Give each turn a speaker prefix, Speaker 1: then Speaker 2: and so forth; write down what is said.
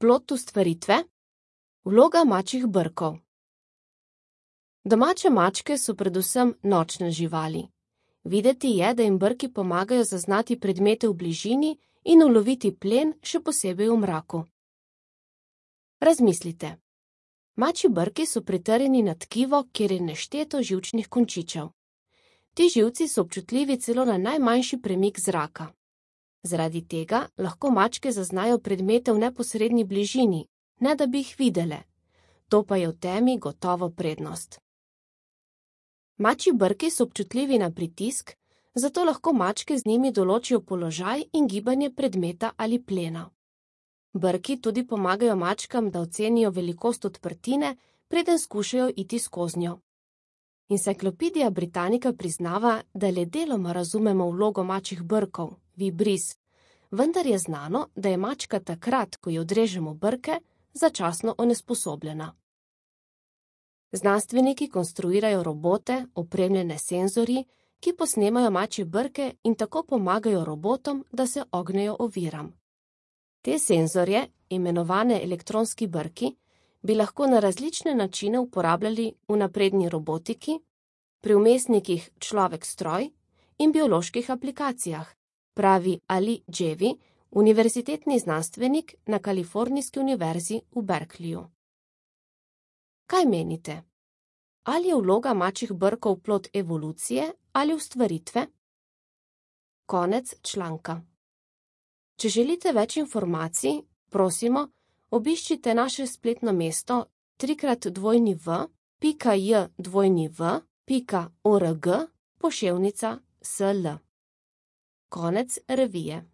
Speaker 1: Plod ustvaritve? Vloga mačjih brkov. Domače mačke so predvsem nočne živali. Videti je, da jim brki pomagajo zaznati predmete v bližini in uloviti plen, še posebej v mraku. Razmislite. Mačji brki so pritrjeni na tkivo, kjer je nešteto živčnih končičev. Ti živci so občutljivi celo na najmanjši premik zraka. Zaradi tega lahko mačke zaznajo predmete v neposredni bližini, ne da bi jih videle. To pa je v temi gotovo prednost. Mačji brki so občutljivi na pritisk, zato lahko mačke z njimi določijo položaj in gibanje predmeta ali plena. Brki tudi pomagajo mačkam, da ocenijo velikost odprtine, preden skušajo iti skoznjo. Enciklopedija Britannica priznava, da le deloma razumemo vlogo mačjih brkov, vibris, vendar je znano, da je mačka takrat, ko ji odrežemo brke, začasno onesposobljena. Znanstveniki konstruirajo robote, opremljene s senzorji, ki posnemajo mačje brke in tako pomagajo robotom, da se ognejo oviram. Te senzorje, imenovane elektronski brki, bi lahko na različne načine uporabljali v napredni robotiki, pri vmesnikih človek-stroj in bioloških aplikacijah, pravi Ali Dževi, univerzitetni znanstvenik na Kalifornijski univerzi v Berkeleyju. Kaj menite? Ali je vloga mačjih brkov plod evolucije ali ustvaritve? Konec članka. Če želite več informacij, prosimo, obiščite naše spletno mesto www.jw.org/sl. Konec revije.